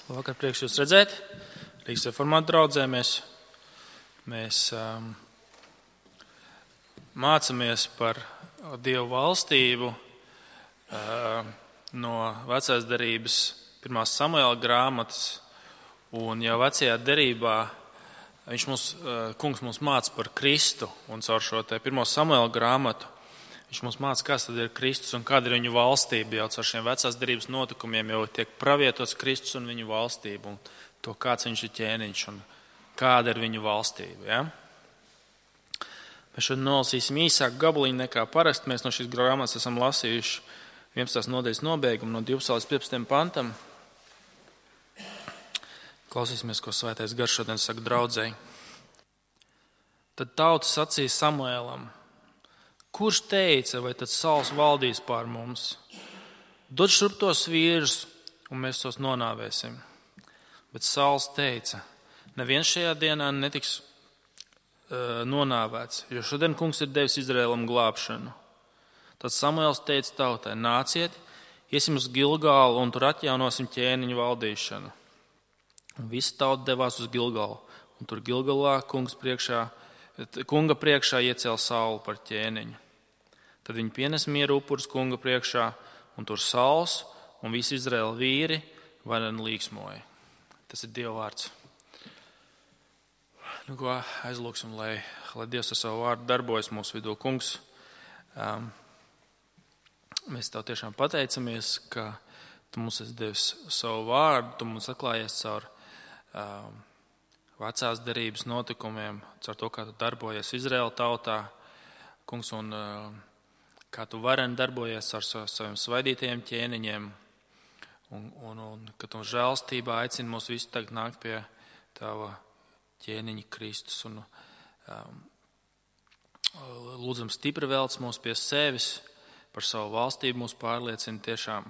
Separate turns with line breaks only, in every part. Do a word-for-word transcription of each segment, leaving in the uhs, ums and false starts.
Labvakar, prieks jūs redzēt. Rīgas reformātu draudzē mēs, mēs um, mācāmies par Dievu valstību uh, no vecās derības pirmās Samuēla grāmatas, un jau vecajā derībā viņš mums, uh, kungs mums māca par Kristu, un caur šo te pirmo Samuēla grāmatu viņš mums māca, kas tad ir Kristus un kāda ir viņu valstība. Jau caur šiem vecās derības notikumiem jau tiek pravietots Kristus un viņu valstība, un to, kāds viņš ir ķēniņš un kāda ir viņu valstība. Ja? Mēs šodien nolasīsim īsāku gabaliņu nekā parasti. Mēs no šīs grāmatas esam lasījuši vienpadsmitās nodaļas nobeigumu no divpadsmitā līdz piecpadsmitajam pantam. Klausīsimies, ko Svētais Gars šodien saka draudzei. Tad tauta sacīja Samuēlam: kurš teica, vai tad Sauls valdīs pār mums? Dod šurp tos vīrus, un mēs tos nonāvēsim. Bet Sauls teica: neviens šajā dienā netiks uh, nonāvēts, jo šodien kungs ir devis Izraēlam glābšanu. Tad Samuēls teica tautai: nāciet, iesim uz Gilgalu un tur atjaunosim ķēniņu valdīšanu. Un visi tauta devās uz Gilgalu, un tur Gilgalā kungs priekšā, kunga priekšā iecēla Saulu par ķēniņu. Tad viņi pienes mieru upurus kunga priekšā, un tur Sauls un visi Izraēla vīri vareni līksmoja. Tas ir Dieva vārds. Nu, ko aizlūksim, lai, lai Dievs ar savu vārdu darbojas mūsu vidū. Kungs, um, mēs tev tiešām pateicamies, ka tu mums esi devis savu vārdu, tu mums atklājies caur um, vecās derības notikumiem, caur to, kā tu darbojies Izraēla tautā. Kungs, un uh, kā tu vareni darbojies ar saviem svaidītajiem ķēniņiem, un, un, un ka tu žēlstībā aicini mūs visu tagad nākt pie tava ķēniņa Kristus, un um, lūdzam stipri velc mūs pie sevis, par savu valstību mūs pārliecina tiešām,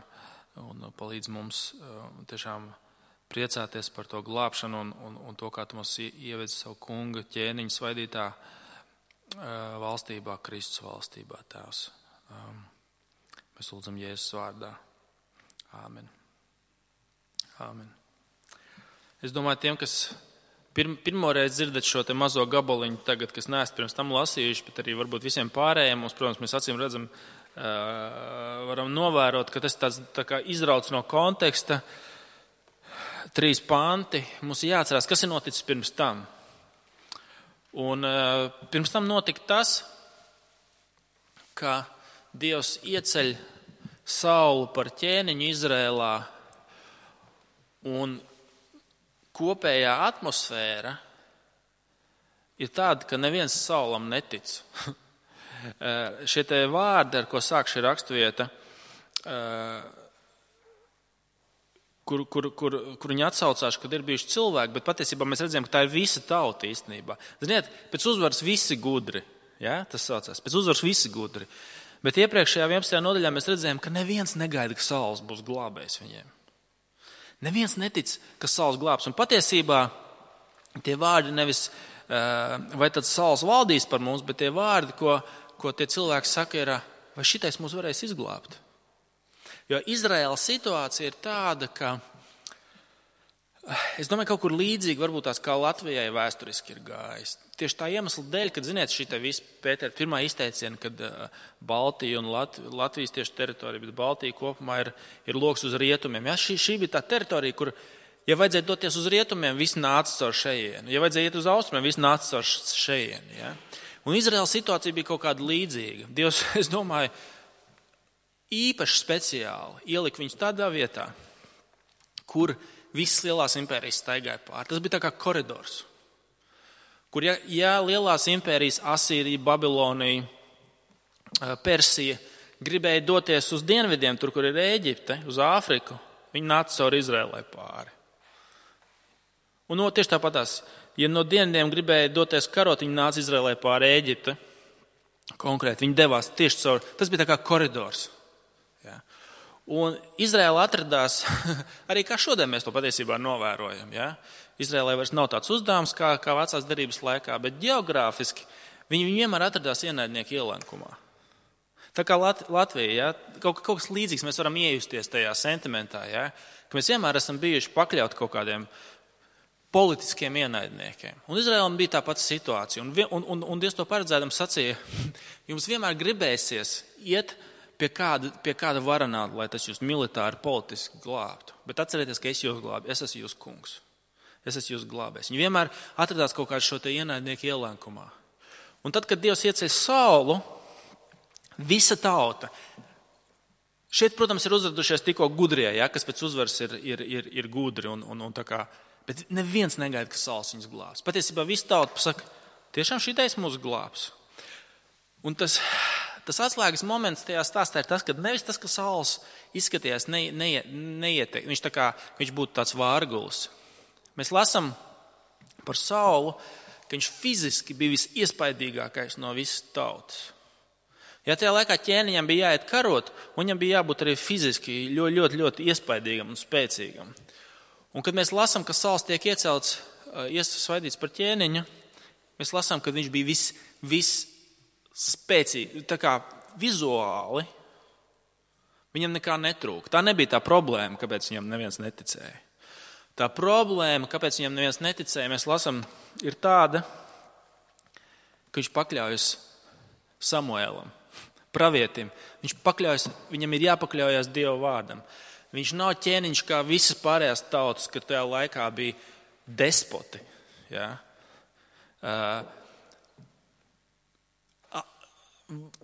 un palīdz mums um, tiešām priecāties par to glābšanu, un, un, un to, kā tu mūs ievedzi savu kunga ķēniņa svaidītā uh, valstībā, Kristus valstībā, Tēvs. Um, mēs lūdzam Jēzus vārdā. Āmen. Āmen. Es domāju, tiem, kas pirm, pirmoreiz dzirdat šo te mazo gabaliņu tagad, kas neesat pirms tam lasījuši, bet arī varbūt visiem pārējiem, mums, protams, mēs acīm redzam, uh, varam novērot, ka tas tāds tā kā izrauc no konteksta. Trīs panti. Mums ir jāatcerās, kas ir noticis pirms tam. Un uh, pirms tam notika tas, ka Dievs ieceļ Saulu par ķēniņu Izrēlā, un kopējā atmosfēra ir tāda, ka neviens Saulam netic. Šie te vārdi, ar ko sāk šī rakstvieta, kur, kur, kur, kur viņi atsaucās, kad ir bijuši cilvēki, bet patiesībā mēs redzam, ka tā ir visa tauta īstenībā. Ziniet, pēc uzvaras visi gudri, ja? Tas saucās, pēc uzvaras visi gudri. Bet iepriekšējā vienpadsmitajā nodaļā mēs redzējām, ka neviens negaida, ka Sauls būs glābējs viņiem. Neviens netic, ka Sauls glābs. Un patiesībā tie vārdi nevis, vai tad Sauls valdīs par mums, bet tie vārdi, ko, ko tie cilvēki saka, ir, vai šitais mūs varēs izglābt. Jo Izraēlas situācija ir tāda, ka, es domāju, kaut kur līdzīgi varbūt tās kā Latvijai vēsturiski ir gājis. Tieši tā iemesla dēļ, kad, ziniet, šī te visa Pētera pirmā izteiciena, kad Baltija un Lat, Latvijas tieši teritorija, bet Baltija kopumā ir, ir loks uz rietumiem. Ja, šī, šī bija tā teritorija, kur, ja vajadzēja doties uz rietumiem, visi nāca caur šejienu. Ja vajadzēja iet uz austrumiem, visi nāca caur šejienu. Ja. Un Izraēlas situācija bija kaut kāda līdzīga. Dievs, es domāju, īpaši speciāli ielika viņus tādā vietā, kur visas lielās impērijas staigāja pār. Tas bija tā kā koridors, kur ja, ja lielās impērijas Asīrija, Babilonija, Persija gribēja doties uz dienvidiem, tur, kur ir Ēģipte, uz Āfriku, viņi nāca caur Izrēlai pāri. Un no, tieši tāpatās, ja no dienvidiem gribēja doties karot, viņi nāca Izrēlai pāri Ēģipte, konkrēti, viņi devās tieši caur, tas bija tā kā koridors. Ja. Un Izraēla atradās, arī kā šodien mēs to patiesībā novērojam, ja? Izraēlai vairs nav tāds uzdevums kā, kā vecās derības laikā, bet geogrāfiski viņi vienmēr atradās ienaidnieku ielenkumā. Tā kā Lat, Latvija, ja? kaut, kaut kas līdzīgs, mēs varam iejusties tajā sentimentā, ja? ka mēs vienmēr esam bijuši pakļauti kaut kādiem politiskiem ienaidniekiem. Un Izraēlam bija tā pati situācija. Un, un, un, un Dievs to paredzēdams sacīja, jums vienmēr gribēsies iet pie kāda, pie kāda varanāta, lai tas jūs militāri, politiski glābtu. Bet atcerieties, ka es jūs glābu, es esmu jūs kungs. Es esmu jūs glābējs. Viņi vienmēr atradās kaut kādu šo te ienaidnieku ielēkumā. Un tad, kad Dievs ieceļ Saulu, visa tauta, šeit, protams, ir uzradušies tikko gudrie, ja, kas pēc uzvaras ir, ir, ir, ir gudri un, un, un tā kā. Bet neviens negaida, ka Sauls viņus glābs. Patiesībā viss tauta pasaka, tiešām šitais mūs glābs. Un tas, tas atslēgas moments tajā stāstā ir tas, ka nevis tas, ka Sauls izskatījās ne, ne, neieteikt. Viņš tā kā viņš būtu tāds vārgulis. Mēs lasām par Saulu, ka viņš fiziski bija visiespaidīgākais no visas tautas. Ja tajā laikā ķēniņam bija jāiet karot, un viņam bija jābūt arī fiziski ļoti, ļoti, ļoti iespaidīgam un spēcīgam. Un kad mēs lasām, ka Sauls tiek iecelts, iesvaidīts par ķēniņu, mēs lasām, ka viņš bija vis, vis spēcīgi, tā kā vizuāli, viņam nekā netrūka. Tā nebija tā problēma, kāpēc viņam neviens neticēja. Tā problēma, kāpēc viņam neviens neticēja, mēs lasām, ir tāda, ka viņš pakļaujas Samuēlam, pravietim. Viņš pakļaujas, viņam ir jāpakļaujas Dieva vārdam. Viņš nav ķēniņš kā visas pārējās tautas, kad tajā laikā bija despoti. Ja?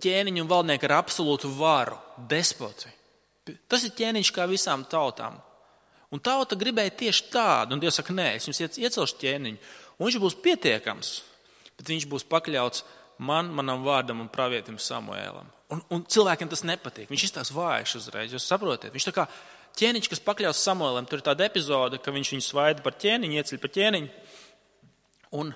Ķēniņi un valdnieki ar absolūtu varu, despoti. Tas ir ķēniņš kā visām tautām. Un tauta gribēja tieši tādu, un Dievs saka, nē, es jums iecelšu ķēniņu. Un viņš būs pietiekams, bet viņš būs pakļauts man, manam vārdam un pravietim Samuēlam. Un, un cilvēkiem tas nepatīk. Viņš izstās vājš uzreiz, jūs saprotiet. Viņš tā kā ķēniņš, kas pakļaus Samuēlam, tur ir tāda epizode, ka viņš viņu svaida par ķēniņu, ieceļ par ķēniņu. Un,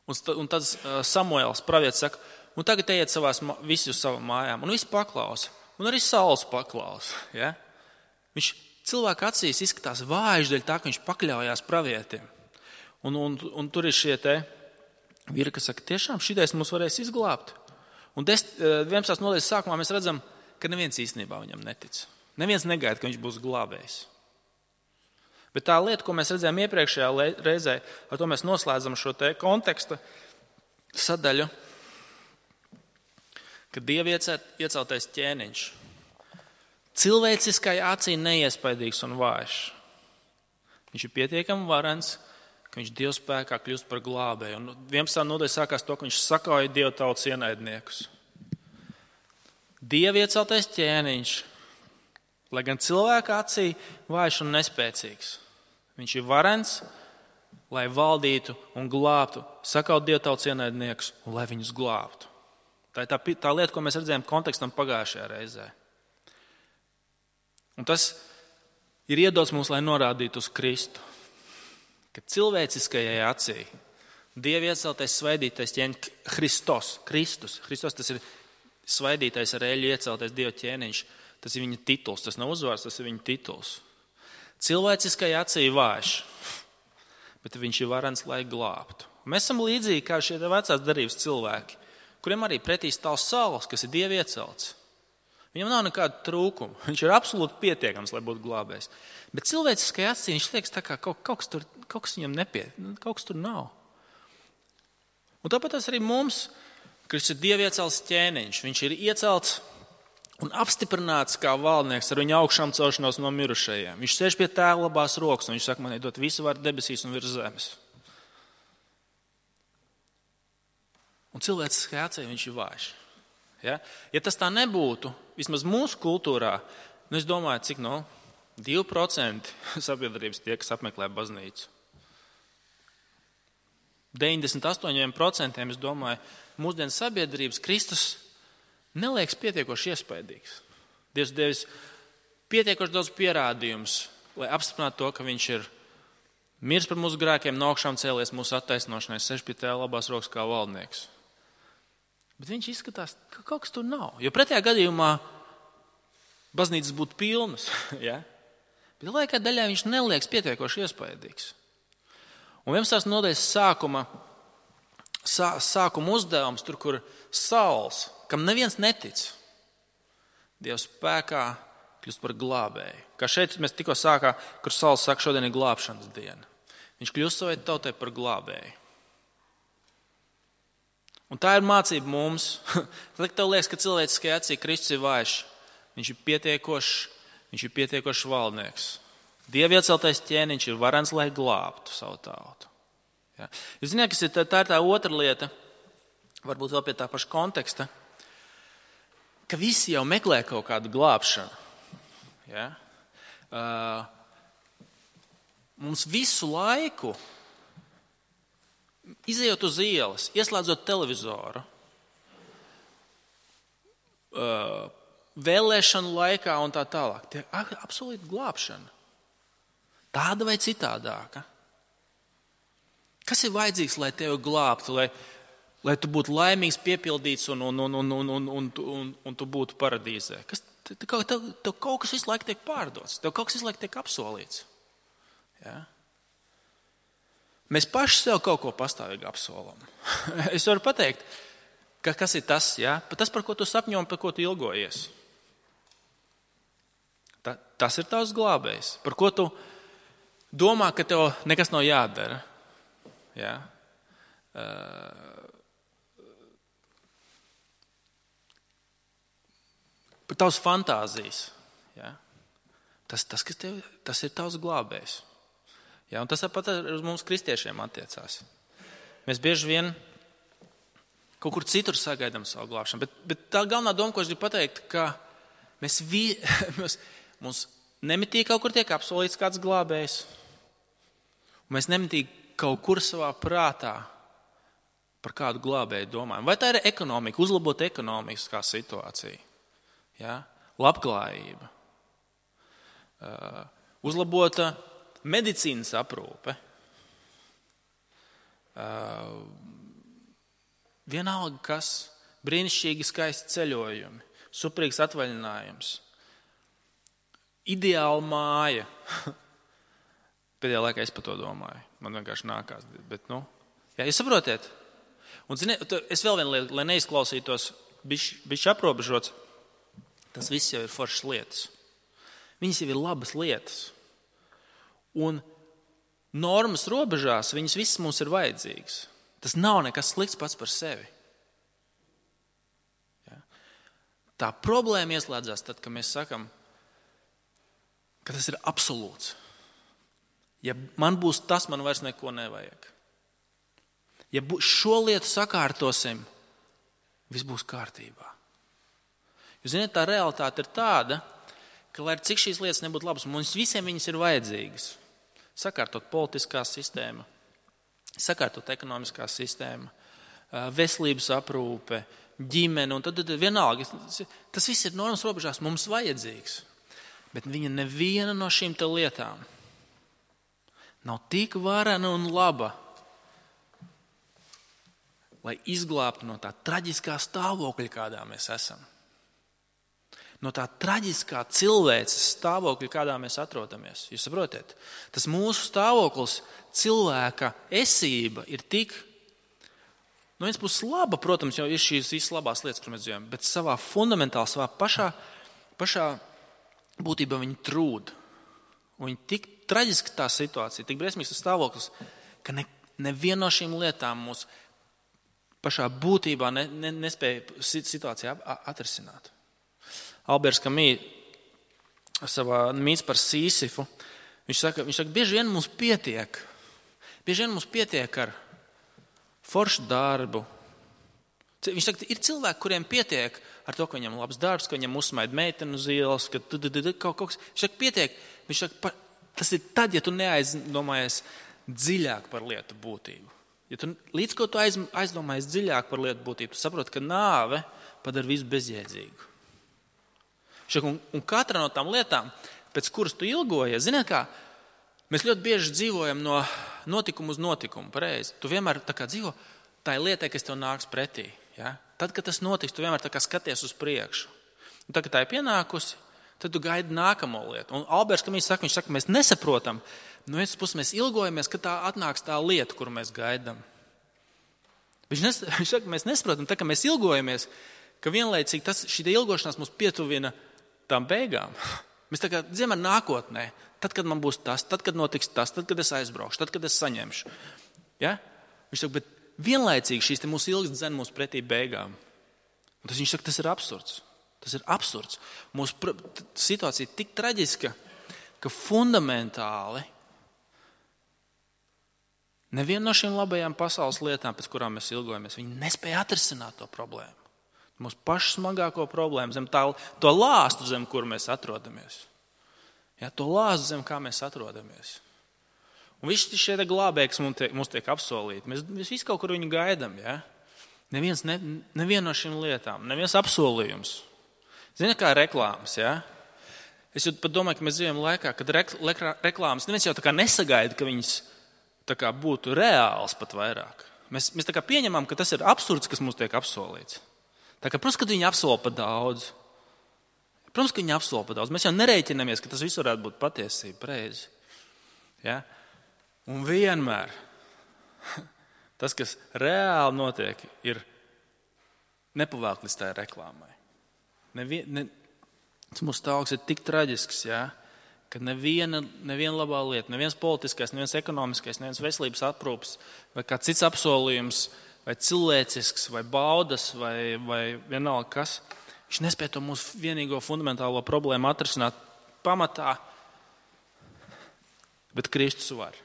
un, un tad Samuēls pravietis saka, un tagad ejiet savās, visi uz savām mājām. Un visi paklausa. Un arī Sauls paklausa. Ja? Viņš cilvēka acīs izskatās vājš dēļ tā, ka viņš pakļaujās pravietim. Un, un, un tur ir šie te vīri, kas saka, tiešām šitais mums varēs izglābt. Un vienpadsmitās nodaļas sākumā mēs redzam, ka neviens īstenībā viņam netic. Neviens negaida, ka viņš būs glābējs. Bet tā lieta, ko mēs redzējām iepriekšējā reizē, ar to mēs noslēdzam šo te konteksta sadaļu, ka Dieva ieceltais ķēniņš cilvēciskai acī neiespaidīgs un vājš. Viņš ir pietiekami varens, ka viņš Dieva spēkā kļūst par glābēju. Un vienpadsmitā nodaļa sākās to, ka viņš sakauja Dieva tautas ienaidniekus. Dieva ieceltais ķēniņš, lai gan cilvēka acī vājš un nespēcīgs, viņš ir varens, lai valdītu un glābtu, sakaut Dieva tautas ienaidniekus un lai viņus glābtu. Tā ir tā, tā lieta, ko mēs redzējām kontekstam pagājušajā reizē. Un tas ir iedots mums, lai norādītu uz Kristu. Ka cilvēciskajai acī Dieva ieceltais svaidītais ķēniņš Kristos, Kristus, Kristus tas ir svaidītais ar eļļu ieceltais Dieva ķēniņš, tas ir viņa tituls, tas nav uzvārds, tas ir viņa tituls. Cilvēciskajai acī vājš, bet viņš ir varens, lai glābtu. Mēs esam līdzīgi kā šie vecās darības cilvēki, kuriem arī pretī stāv Sauls, kas ir Dieva iecelts. Viņam nav nekāda trūkuma. Viņš ir absolūti pietiekams, lai būtu glābējs. Bet cilvēciskajā acī viņš liekas tā kā kaut, kaut, kas tur, kaut kas viņam nepiet, kaut kas tur nav. Un tāpēc tas arī mums, kas ir Dieva iecelts ķēniņš, viņš ir iecelts un apstiprināts kā valdnieks ar viņa augšām celšanos no mirušajiem. Viņš sēž pie Tēva labās rokas un viņš saka, man ir dot visu varu debesīs un virs zemes. Un cilvēciskajā acī viņš ir vājš. Ja? Ja tas tā nebūtu, vismaz mūsu kultūrā, nu es domāju, cik no divi procenti sabiedrības tie, kas apmeklē baznīcu. deviņdesmit astoņi procenti, es domāju, mūsdienu sabiedrības Kristus neliekas pietiekoši iespaidīgs. Dievs devis pietiekoši daudz pierādījumus, lai apstiprinātu to, ka viņš ir miris par mūsu grēkiem, no augšām cēlies mūsu attaisnošanai, sēž pie Tēva labās rokas kā valdnieks. Bet viņš izskatās, ka kaut kas tur nav. Jo pretējā gadījumā baznīcas būtu pilnas. Ja? Bet laikā daļā viņš neliekas pietiekoši iespaidīgs. Un vienpadsmitās nodaļas sākuma, sā, sākuma uzdevums, tur, kur Sauls, kam neviens netic, Dieva spēkā kļūst par glābēju. Kā šeit mēs tikko sākām, kur Sauls saka, šodien ir glābšanas diena. Viņš kļūst savai tautai par glābēju. Un tā ir mācība mums. Tad, kad tev liekas, ka cilvēciskajā acī Kristus ir vājš, viņš ir pietiekošs, viņš ir pietiekošs valdnieks. Dieva ieceltais ķēniņš ir varens, lai glābtu savu tautu. Ja. Jūs zināt, kas ir tā, tā ir tā otra lieta, varbūt vēl pie tā paša konteksta, ka visi jau meklē kaut kādu glābšanu. Ja. Uh, mums visu laiku, izejot uz ielas, ieslēdzot televizoru, uh, vēlēšanu laikā un tā tālāk, tie ir absolūti glābšana. Tāda vai citādāka. Kas ir vajadzīgs, lai tevi glābtu, lai, lai tu būtu laimīgs, piepildīts un, un, un, un, un, un, un, un tu būtu paradīzē? Kas, tev, tev, tev kaut kas visu laiku tiek pārdots, tev kaut kas visu laiku tiek apsolīts. Ja? Mēs paši sev kaut ko pastāvīgi apsolam. Es varu pateikt, ka kas ir tas, ja? Tas, par ko tu sapņo un par ko tu ilgojies. Ta, tas ir tavs glābējs, par ko tu domā, ka tev nekas nav jādara. Ja? Uh, par tavs fantāzijas. Ja? Tas, tas, kas tev, tas ir tavs glābējs. Ja? Un tas pat uz mums kristiešiem attiecās. Mēs bieži vien kaut kur citur sagaidām savu glābšanu. Bet, bet tā galvenā doma, ko es gribu pateikt, ka mēs, vi, mēs mums nemitīgi kaut kur tiek apsolīts kāds glābējs. Un mēs nemitīgi kaut kur savā prātā par kādu glābēju domājam. Vai tā ir ekonomika, uzlabot ekonomiskā situācija, ja? Labklājība, uh, uzlabota medicīnas aprūpe, uh, vienalga kas, brīnišķīgi skaisti ceļojumi, superīgs atvaļinājums, ideāla māja. Pēdējā laikā es par to domāju. Man vienkārši nākās. Bet, nu, jā, jūs saprotiet? Un, zini, es vēl vienu lietu, lai neizklausītos bišķi aprobežots, tas viss jau ir foršas lietas. Viņas jau ir labas lietas. Un normas robežās viņas visas mums ir vajadzīgas. Tas nav nekas slikts pats par sevi. Ja? Tā problēma ieslēdzās tad, kad mēs sakam, ka tas ir absolūts. Ja man būs tas, man vairs neko nevajag. Ja šo lietu sakārtosim, viss būs kārtībā. Jūs zināt, tā realitāte ir tāda, ka, lai cik šīs lietas nebūtu labas, mums visiem viņas ir vajadzīgas. Sakārtot politiskā sistēma, sakārtot ekonomiskā sistēma, veselības aprūpe, ģimene, un tad, tad vienalga, tas viss ir normas robežās mums vajadzīgs. Bet viņa neviena no šīm te lietām nav tik varena un laba, lai izglābtu no tā traģiskā stāvokļa, kādā mēs esam. No tā traģiskā cilvēces stāvokļa, kādā mēs atrodamies. Jūs saprotiet? Tas mūsu stāvoklis, cilvēka esība ir tik, no viens puses laba, protams, jau ir šīs visas labās lietas, kur mēs dzīvojam, bet savā fundamentāli, savā pašā, pašā būtībā viņi trūd. Un viņi tik traģiski tā situācija, tik briesmīgs tas stāvoklis, ka ne, neviena no šīm lietām mūs pašā būtībā ne, ne, nespēja situāciju atrisināt. Alberts Camus savā mīts par Sīsifu, viņš saka, viņš saka, bieži vien mums pietiek, bieži vien mums pietiek ar foršu darbu. Viņš saka, ir cilvēki, kuriem pietiek ar to, ka viņam labs darbs, ka viņam uzsmaida meiteni uz ielas, ka kaut kas. Viņš saka, pietiek. Viņš saka, tas ir tad, ja tu neaizdomājies dziļāk par lietu būtību. Ja tu, līdz ko tu aiz, aizdomājies dziļāk par lietu būtību, tu saproti, ka nāve padara visu bezjēdzīgu. Viņš saka, un, un katra no tām lietām, pēc kuras tu ilgojies, ziniet kā, mēs ļoti bieži dzīvojam no notikumu uz notikumu, pareizi. Tu vienmēr tā kā dzīvo, tā ir lietai, kas tev nāks pretī. Ja? Tad, kad tas notiks, tu vienmēr tā kā skaties uz priekšu. Un tad, kad tā ir pienākusi, tad tu gaidi nākamo lietu. Un Alberts Camus saka, viņš saka, mēs nesaprotam, no vienas puses mēs ilgojamies, ka tā atnāks tā lieta, kuru mēs gaidām. Viņš, nes, viņš saka, mēs nesaprotam, tā kā mēs ilgojamies, ka vienlaicīgi tas, šī ilgošanās mūs pietuvina tām beigām. Mēs tā kā dzīvojam nākotnē. Tad, kad man būs tas, tad, kad notiks tas, tad, kad es aizbraukšu, tad, kad es saņemšu. Ja? Viņš saka, bet vienlaicīgi šīs te mūsu ilgas dzen mūsu pretī beigām. Un tas viņš saka, tas ir absurds. Tas ir absurds. Mūsu situācija ir tik traģiska, ka fundamentāli neviena no šīm labajām pasaules lietām, pēc kurām mēs ilgojamies, viņi nespēja atrisināt to problēmu. Mūsu pašu smagāko problēmu, zem tā, to lāstu, zem kur mēs atrodamies. Ja, to lāstu, zem kā mēs atrodamies. Un visi šie glābēji, kas mums tiek, mums tiek apsolīti, mēs, mēs visi kaut kur viņu gaidām. Ja? Neviens, ne, neviena no šīm lietām, neviens apsolījums. Zini, kā reklāmas, ja? Es jau pat domāju, ka mēs dzīvojam laikā, kad reklāmas neviens jau tā kā nesagaida, ka viņas tā kā būtu reāls pat vairāk. Mēs, mēs tā kā pieņemam, ka tas ir absurds, kas mums tiek apsolīts. Tā kā, protams, ka viņi apsola pa daudz. Protams, ka viņi apsola pa daudz. Mēs jau nerēķinamies, ka tas viss varētu būt patiesība, pareizi. Ja? Un vienmēr tas, kas reāli notiek, ir nepavēlk līdz tā reklāmai. Nevien, ne, tas mūsu stāvoklis ir tik traģisks, ja, ka neviena, neviena labā lieta, neviens politiskais, neviens ekonomiskais, neviens veselības aprūps vai kāds cits apsolījums, vai cilvēcisks, vai baudas, vai, vai vienalga kas, viņš nespēja to mūsu vienīgo fundamentālo problēmu atrisināt pamatā, bet Kristus var.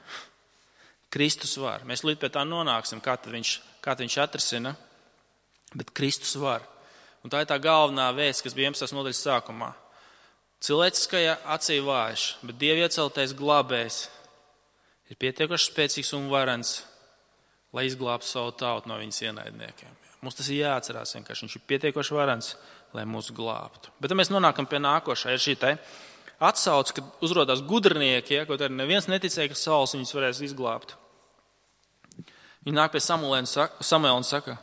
Kristus var. Mēs līdz pie tā nonāksim, kā tad viņš, kā tad viņš atrisina, bet Kristus var. Un tā ir tā galvenā vēsts, kas bija vienpadsmitās nodaļas sākumā. Cilvēciskajā acī vājš, bet Dieva ieceltais glābējs ir pietiekoši spēcīgs un varens, lai izglābtu savu tautu no viņas ienaidniekiem. Mums tas ir jāatcerās vienkārši. Viņš ir pietiekoši varens, lai mūs glābtu. Bet tad mēs nonākam pie nākošā. Ir šī te atsauce, kad uzrodās gudrinieki, ja, kaut arī neviens neticēja, ka Sauls viņus varēs izglābt. Viņi nāk pie Samuela un saka,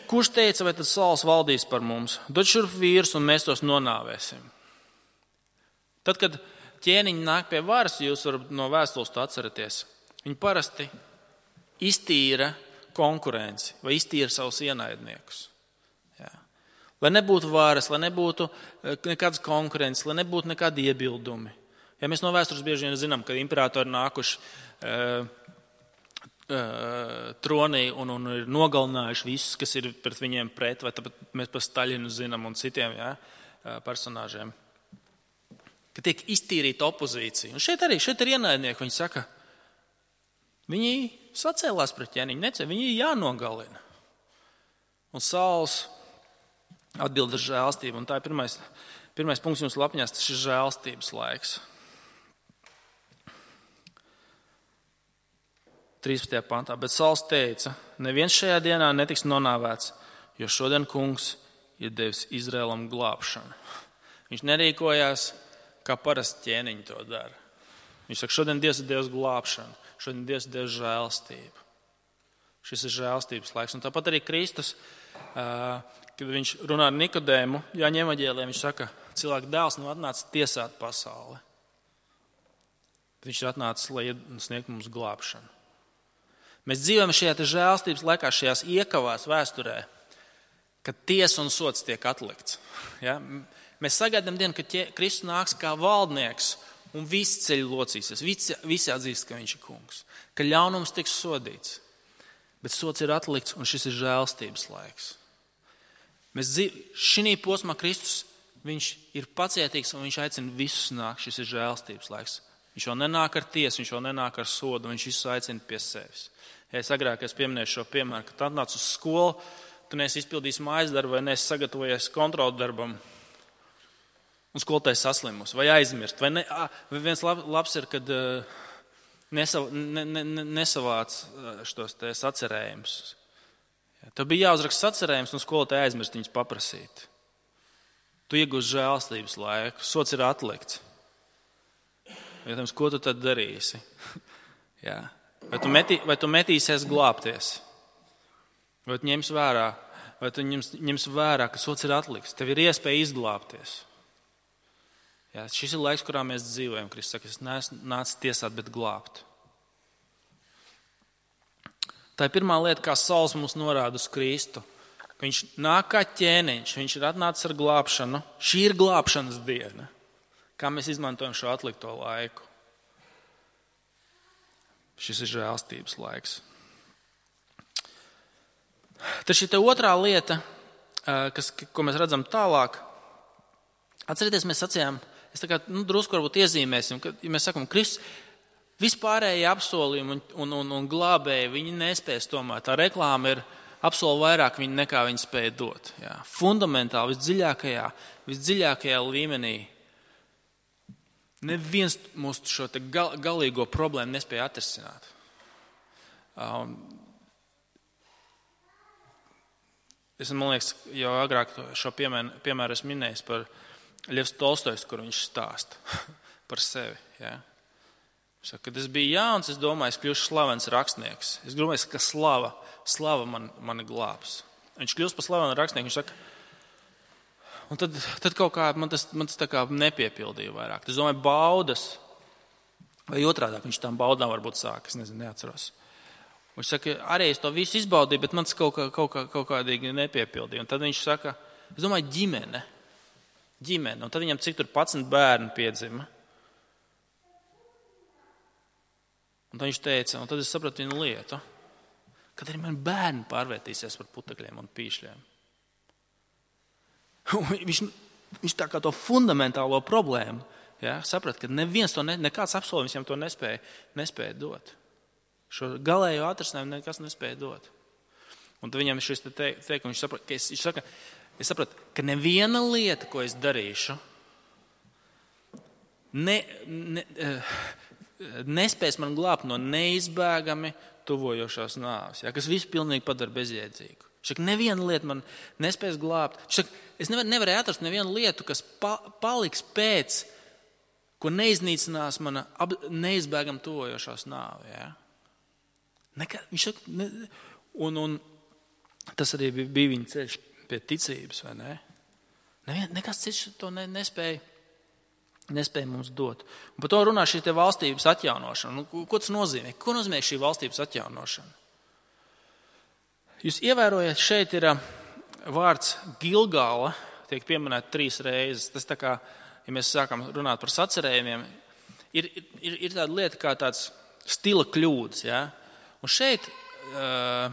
kurš teica, vai tad Sauls valdīs par mums? Dod šurp vīrus un mēs tos nonāvēsim. Tad, kad ķēniņi nāk pie varas, jūs varat no vēstules to atceraties, viņi parasti iztīra konkurenci vai iztīra savus ienaidniekus. Jā. Lai nebūtu varas, lai nebūtu nekādas konkurences, lai nebūtu nekādi iebildumi. Ja mēs no vēstures bieži vien zinām, ka imperatori nākuši uh, tronī un, un ir nogalinājuši visus, kas ir pret viņiem pret, vai tāpat mēs par Staļinu zinām un citiem ja, personāžiem, ka tiek iztīrīta opozīcija. Un šeit arī, šeit ir ienaidnieki, viņi saka, viņi sacēlās pret ķēniņu, necē, viņi ir jānogalina. Un Sauls atbild ar žēlstību, un tā ir pirmais, pirmais punkts jums lapņās, tas ir žēlstības laiks. trīspadsmitajā pantā, bet Sauls teica, neviens šajā dienā netiks nonāvēts, jo šodien kungs ir devis Izraēlam glābšanu. Viņš nerīkojās, kā parasti ķēniņi to dara. Viņš saka, šodien Dievs ir devis glābšanu, šodien Dievs ir devis žēlstību. Šis ir žēlstības laiks. Un tāpat arī Kristus, kad viņš runā ar Nikodēmu, Jāņa evaņģēlijā, viņš saka, cilvēka dēls nav atnācis tiesāt pasauli. Viņš ir atnācis, lai sniegtu mums glābšanu. Mēs dzīvojam šajā žēlstības laikā, šajās iekavās vēsturē, kad tiesa un sots tiek atlikts. Ja? Mēs sagaidām dienu, kad Kristus nāks kā valdnieks un visi ceļi locīsies, visi, visi atzīst, ka viņš ir kungs, ka ļaunums tiks sodīts. Bet sots ir atlikts un šis ir žēlstības laiks. Mēs dzīv... Šī posmā Kristus, viņš ir pacietīgs un viņš aicina visus nākt, šis ir žēlstības laiks. Viņš jau nenāk ar tiesu, viņš jau nenāk ar sodu, viņš visus aicina pie sevis. Ja es agrāk es pieminēju šo piemēru, ka tu atnāc uz skolu, tu neesi izpildījis mājas darbu vai neesi sagatavojies kontrolu darbam un skolotājs saslimus vai aizmirst. Vai, ne, vai viens labs ir, kad nesav, ne, ne, nesavāc šos te sacerējumus. Ja, tev bija jāuzraksta sacerējums un skolotāji aizmirst viņus paprasīt. Tu iegūsi žēlstības laiku, sots ir atlikts. Jautājums, ko tu tad darīsi? Jā. Vai tu, metī, vai tu metīsies glābties? Vai tu ņems vērā, vai tu ņems, ņems vērā, ka sots ir atlikts? Tev ir iespēja izglābties. Jā, šis ir laiks, kurā mēs dzīvojam. Kristus saka, es neesmu nācis tiesāt, bet glābt. Tā ir pirmā lieta, kā Sauls mums norāda uz Kristu. Viņš nāk kā ķēniņš, viņš ir atnācis ar glābšanu. Šī ir glābšanas diena. Kā mēs izmantojam šo atlikto laiku? Šis ir žēlstības laiks. Tad šī te otrā lieta, kas, ko mēs redzam tālāk, atcerieties, mēs sacījām, es tā kā nu, drusku varbūt iezīmēsim, ka, ja mēs sakam, Kristus, vispārējie apsolījumi un, un, un, un glābēji, viņi nespēs tomēr. Tā reklāma ir apsolu vairāk viņi nekā viņi spēja dot. Jā. Fundamentāli, visdziļākajā, visdziļākajā līmenī. Neviens mūsu šo te gal, galīgo problēmu nespēja atrisināt. Um, es, man liekas, jau agrāk šo piemēru, piemēru esmu minējis par Ļevs Tolstojs, kur viņš stāsta par sevi. Jā. Saka, kad es biju jauns, es domāju, es kļūšu slavens rakstnieks. Es domāju, ka slava, slava man, mani glābs. Viņš kļūst par slavenu rakstnieku, viņš saka, un tad, tad kaut kā man tas, man tas tā kā nepiepildīja vairāk. Es domāju, baudas, vai otrādāk viņš tām baudām varbūt sāk, es nezinu, neatceros. Viņš saka, arī es to visu izbaudīju, bet man tas kaut, kā, kaut, kā, kaut kādīgi nepiepildīja. Un tad viņš saka, es domāju, ģimene, ģimene, un tad viņam cik tur padsmit bērni piedzima. Un tad viņš teica, un tad es sapratu vienu lietu, kad arī man bērni pārvērtīsies par putekļiem un pīšļiem. viņš, viņš tā kā to fundamentālo problēmu, ja, saprat, ka neviens to, ne, nekāds apsolījums viņam to nespēja, nespēja dot. Šo galējo atrisinājumu nekas nespēja dot. Un tad viņam šis te teikums, viņš saprat, ka es, viņš saka, es sapratu, ka neviena lieta, ko es darīšu, ne, ne, nespēs man glābt no neizbēgami tuvojošās nāves, ja, kas visu pilnīgi padara bezjēdzīgu. Viņš saka, neviena lieta man nespēs glābt. Viņš saka, es nevar, nevarēju atrast nevienu lietu, kas pa, paliks pēc, ko neiznīcinās mana ap, neizbēgami tuvojošās nāve. Ja. Nekā, viņš saka, ne, un, un tas arī bija, bija viņa ceļš pie ticības, vai ne? Nevien, nekas cits to ne, nespēja. nespēja mums dot. Un par to runā šī te valstības atjaunošana. Nu, ko tas nozīmē? Ko nozīmē šī valstības atjaunošana? Jūs ievērojat, šeit ir vārds Gilgala, tiek pieminēta trīs reizes. Tas tā kā, ja mēs sākam runāt par sacerējumiem, ir, ir, ir tāda lieta kā tāds stila kļūdas. Ja? Un šeit uh,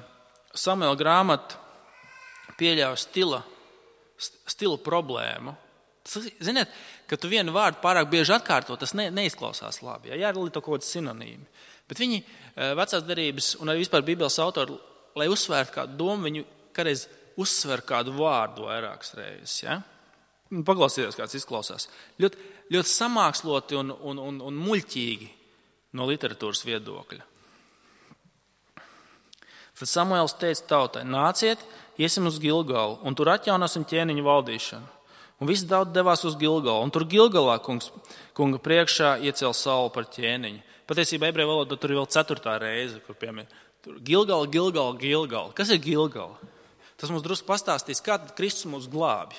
Samuela grāmata pieļauj stila, stila problēmu. Ziniet, ka tu vienu vārdu pārāk bieži atkārto, tas ne, neizklausās labi. Ja? Jāralīto kaut kāds sinonīmi. Bet viņi vecās derības un arī vispār Bībeles autori, lai uzsvērtu kādu domu, viņi kādreiz uzsver kādu vārdu vairākas reizes. Ja? Paklausieties, kāds izklausās. Ļoti, ļoti samāksloti un, un, un, un muļķīgi no literatūras viedokļa. Tad Samuēls teica tautai, nāciet, iesim uz Gilgalu un tur atjaunosim ķēniņu valdīšanu. Un visi daudz devās uz Gilgalu, un tur Gilgalā kungs, kunga priekšā iecēla Saulu par ķēniņu. Patiesībā ebreju valodā tur ir vēl ceturtā reize, kur piemēr. Gilgala, Gilgala, Gilgala. Kas ir Gilgala? Tas mums drusku pastāstīs, kā tad Kristus mūs glābj.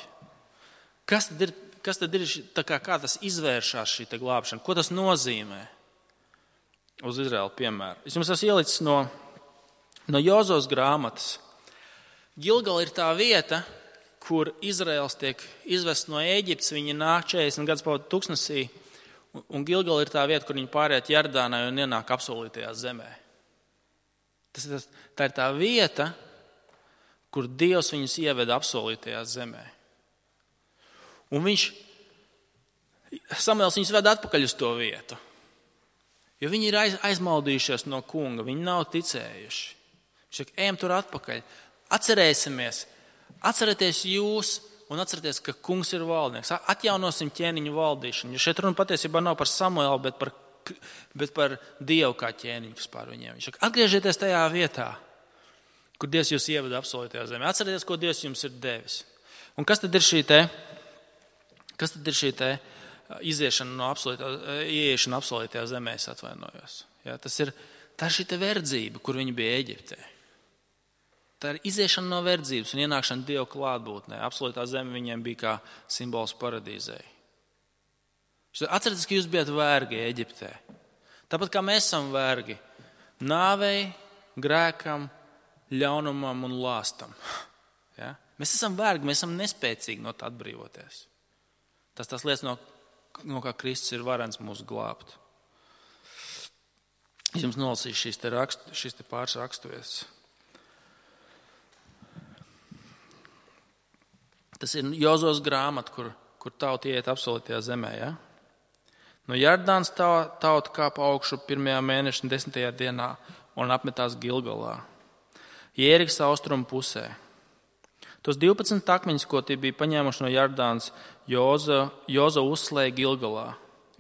Kas tad ir, kas tad ir tā kā, kā tas izvēršās šī te glābšana? Ko tas nozīmē? Uz Izraēlu piemēru. Es jums esmu ielicis no, no Jozos grāmatas. Gilgala ir tā vieta, kur Izraels tiek izvests no Ēģiptes, viņi nāk četrdesmit gadus pavadīt tuksnesī, un Gilgala ir tā vieta, kur viņi pāriet Jardānai un ienāk apsolītajā zemē. Tas, tas, tā ir tā vieta, kur Dievs viņus ieveda apsolītajā zemē. Un viņš, Samuēls viņus ved atpakaļ uz to vietu, jo viņi ir aiz, aizmaldījušies no kunga, viņi nav ticējuši. Viņš saka, ejam tur atpakaļ, atcerēsimies, atcerieties jūs un atcerieties, ka kungs ir valdnieks. Atjaunosim ķēniņu valdīšanu. Jo šeit runa patiesībā nav par Samuelu, bet par, bet par Dievu kā ķēniņu, kas pār viņiem. Viņš saka, atgriezieties tajā vietā, kur Dievs jūs ieveda apsolītajā zemē. Atcerieties, ko Dievs jums ir devis. Un kas tad ir šī te, kas tad ir šī te iziešana no apsolītā, ieiešana apsolītajā zemē, es atvainojos. Jā, tas ir, tā ir šī te verdzība, kur viņi bija Eģiptē. Tā ir iziešana no verdzības un ienākšana Dieva klātbūtnē. Apsolītā zeme viņiem bija kā simbols paradīzei. Atcerieties, ka jūs bijat vergi Eģiptē. Tāpat kā mēs esam vergi nāvei, grēkam, ļaunumam un lāstam. Ja? Mēs esam vergi, mēs esam nespēcīgi no tā atbrīvoties. Tas tas lietas, no no kā Kristus ir varens mūs glābt. Es jums nolasīšu šīs te, rakstu, šīs te pāris raksturvietas. Tas ir Jozos grāmata, kur, kur tauta iet apsolītajā zemē. Ja? No Jardānas tauta kāpa augšu pirmajā mēneša desmitajā dienā un apmetās Gilgalā, Jērikas austrumu pusē. Tos divpadsmit akmeņus, ko tie bija paņēmuši no Jardānas, Joza, Joza uzslēja Gilgalā.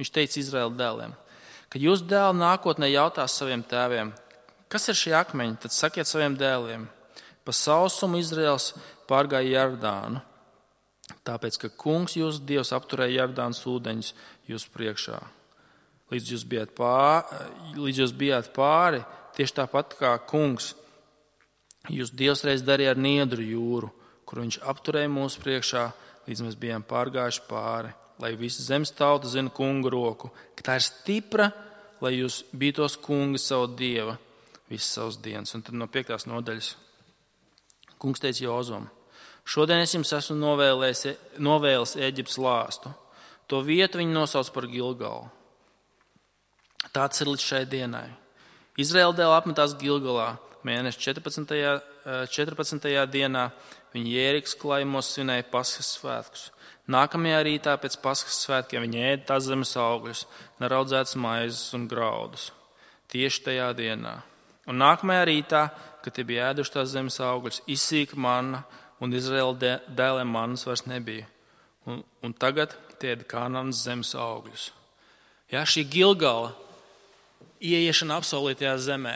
Viņš teica Izraēla dēliem, kad jūs dēli nākotnē jautās saviem tēviem, kas ir šie akmeņi, tad sakiet saviem dēliem, pa sausumu Izraēls pārgāja Jardānu, tāpēc, ka kungs jūsu Dievs apturēja Jardānas ūdeņus jūsu priekšā. Līdz jūs bijāt pāri, līdz jūs bijāt pāri tieši tāpat kā kungs, jūs Dievs reiz darīja ar Niedru jūru, kur viņš apturēja mūsu priekšā, līdz mēs bijām pārgājuši pāri, lai visa zemes tauta zina kunga roku, ka tā ir stipra, lai jūs bītos kunga savu Dieva visas savas dienas. Un tad no piektās nodaļas kungs teica Jozum, šodien es jums esmu novēlējis, novēlis Ēģiptes lāstu. To vietu viņi nosauc par Gilgalu. Tāds ir līdz šai dienai. Izraēla dēli apmetās Gilgalā mēneša četrpadsmitajā, četrpadsmitajā dienā. Viņi Jērikas klājumos svinēja Paskas svētkus. Nākamajā rītā pēc Paskas svētkiem viņi ēda tās zemes augļus, neraudzētas maizes un graudus. Tieši tajā dienā. Un nākamajā rītā, kad tie bija ēduši tās zemes augļus, izsīka manna, un Izraēla dēliem mannas vairs nebija. Un, un tagad tie ēda Kanānas zemes augļus. Jā, šī Gilgala ieiešana apsolītajā zemē.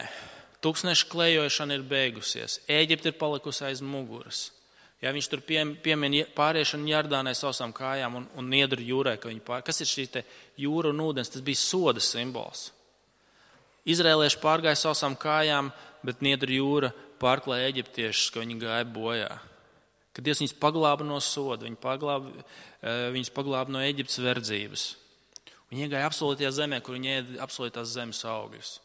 Tūkstneša klejošana ir beigusies. Ēģipte ir palikusi aiz muguras. Jā, viņš tur pie, piemin pāriešanu Jardānai sausām kājām un, un Niedru jūrai. Ka pār... Kas ir šī te jūra un ūdens? Tas bija soda simbols. Izrēlieši pārgāja sausām kājām, bet Niedru jūra pārklāja eģiptiešus, ka viņi gāja bojā. Kad Dievs viņus paglāba no soda, viņi paglāba, viņus paglāba no Eģiptes verdzības. Viņi iegāja apsolītajā zemē, kur viņi ēda apsolītās zemes augļus.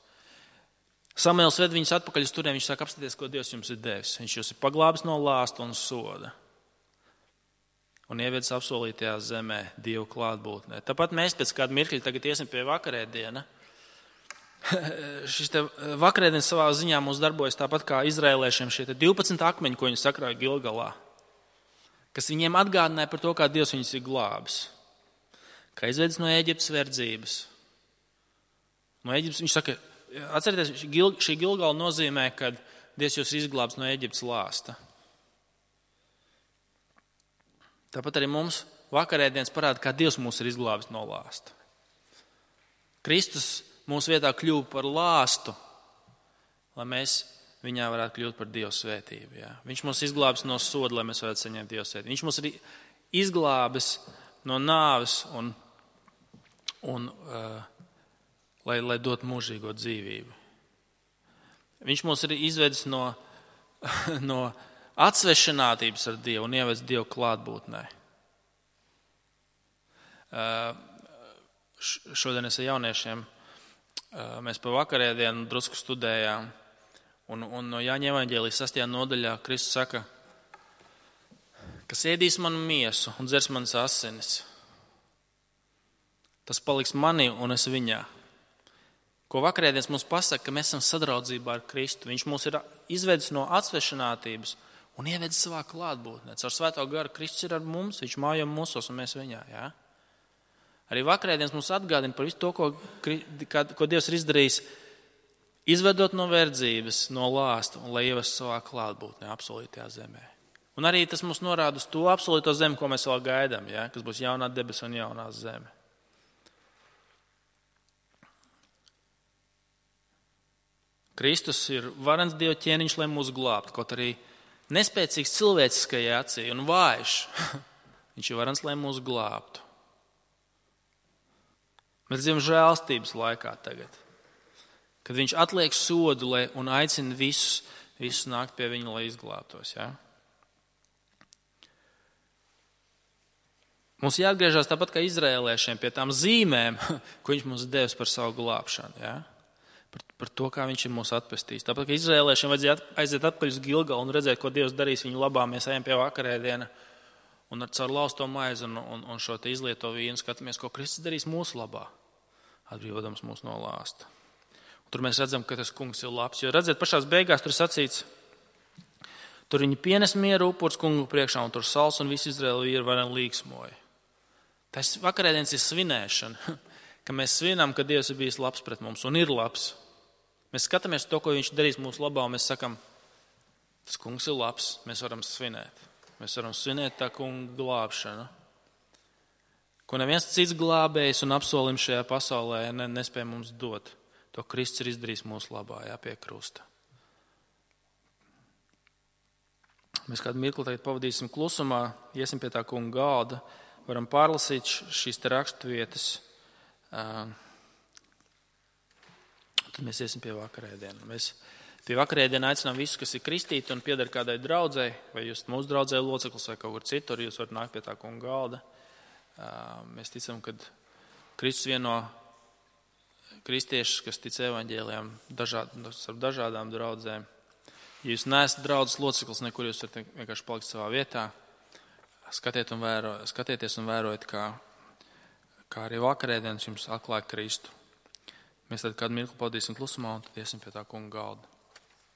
Samuēls ved viņus atpakaļ uz turien, viņš saka, apstāties, ko Dievs jums ir devis. Viņš jūs ir paglābis no lāsta un soda. Un ievedis apsolītajā zemē Dievu klātbūtnē. Tāpat mēs pēc kāda mirkļa tagad iesim pie vakarēdiena. Šis te vakarēdienas savā ziņā mums darbojas tāpat kā izrēliešiem šie divpadsmit akmeņi, ko viņi sakrāja Gilgalā, kas viņiem atgādināja par to, kā Dievs viņus ir glābis. Kā izvedis no Ēģiptes verdzības. No Ēģiptes, viņš saka, atcerieties, šī Gilgala nozīmē, ka Dievs jūs izglābs no Ēģiptes lāsta. Tāpat arī mums vakarēdienas parāda, kā Dievs mūs ir izglābis no lāsta. Kristus mūsu vietā kļuva par lāstu, lai mēs viņā varētu kļūt par Dieva svētību. Jā. Viņš mūs izglābis no soda, lai mēs varētu saņemt Dieva svētību. Viņš mūs ir izglābis no nāves un, un uh, lai, lai dot mūžīgo dzīvību. Viņš mūs ir izvedis no, no atsvešinātības ar Dievu un ievedis Dievu klātbūtnē. Uh, šodien es ar jauniešiem mēs pa vakarēdienu drusku studējām, un, un no Jāņa evaņģēlijas sastajā nodaļā Kristus saka, kas ēdīs manu miesu un dzers manas asinis, tas paliks manī un es viņā. Ko vakarēdienas mums pasaka, ka mēs esam sadraudzībā ar Kristu. Viņš mūs ir izvedis no atsvešinātības un ievedis savā klātbūtnē. Caur Svēto garu Kristus ir ar mums, viņš mājo mūsos un mēs viņā, jā. Arī vakarēdienas mums atgādina par visu to, ko, ko Dievs ir izdarījis, izvedot no verdzības, no lāsta un lai ievestu savā klātbūtnē, apsolītajā zemē. Un arī tas mums norāda uz to apsolīto zemi, ko mēs vēl gaidām, ja? Kas būs jaunā debesa un jaunā zeme. Kristus ir varens Dieva ķēniņš, lai mūs glābtu, kaut arī nespēcīgs cilvēciskajā acī un vājš. Viņš ir varens, lai mūs glābtu. Mēs dzīvojam žēlstības laikā tagad, kad viņš atliek sodu lai, un aicina visus, visus nākt pie viņa, lai izglābtos. Ja? Mums jāatgriežas tāpat kā izrēliešiem pie tām zīmēm, ko viņš mums devis par savu glābšanu. Ja? Par, par to, kā viņš ir mūs atpestījis. Tāpat kā izrēliešiem vajadzēja aiziet atpakaļ uz Gilgalu un redzēt, ko Dievs darīs viņu labā. Mēs ejam pie vakarēdiena un ar caur lausto maizi un, un, un šo te izlieto vīnu skatāmies, ko Kristus darīs mūsu labā, atbrīvodams mūs no lāsta. Un tur mēs redzam, ka tas kungs ir labs, jo redziet, pašās beigās tur sacīts, tur viņi pienes mieru upurs kungu priekšā, un tur Sauls un visi Izraēla vīri varen līksmoja. Tas vakarēdienas ir svinēšana, ka mēs svinām, ka Dievs ir bijis labs pret mums un ir labs. Mēs skatāmies to, ko viņš darīs mūsu labā, un mēs sakam, tas kungs ir labs, mēs varam svinēt. Mēs varam svinēt tā kunga glābšanu, ko neviens cits glābējs un apsolim šajā pasaulē ne, nespēja mums dot. To Kristus ir izdarījis mūsu labā, jā, pie krusta. Mēs kādu mirkli tagad pavadīsim klusumā, iesim pie tā kunga galda, varam pārlasīt šīs te raksturvietas, tad mēs iesim pie vakarēdienu. Mēs Pie vakarēdiena aicinām visus, kas ir kristīti un pieder kādai draudzei, vai jūs mūsu draudzē loceklis vai kaut kur citur, jūs varat nākt pie tā kunga galda. Mēs ticam, ka Kristus vieno kristiešus, kas tic evaņģēlijam dažād, ar dažādām draudzēm. Ja jūs neesat draudzes loceklis, nekur jūs varat vienkārši palikt savā vietā. Skatiet un vēro, skatieties un vērojiet, kā, kā arī vakarēdienas jums atklāja Kristu. Mēs tad kādu mirkli pavadīsim klusumā un tad iesim pie tā kunga galda.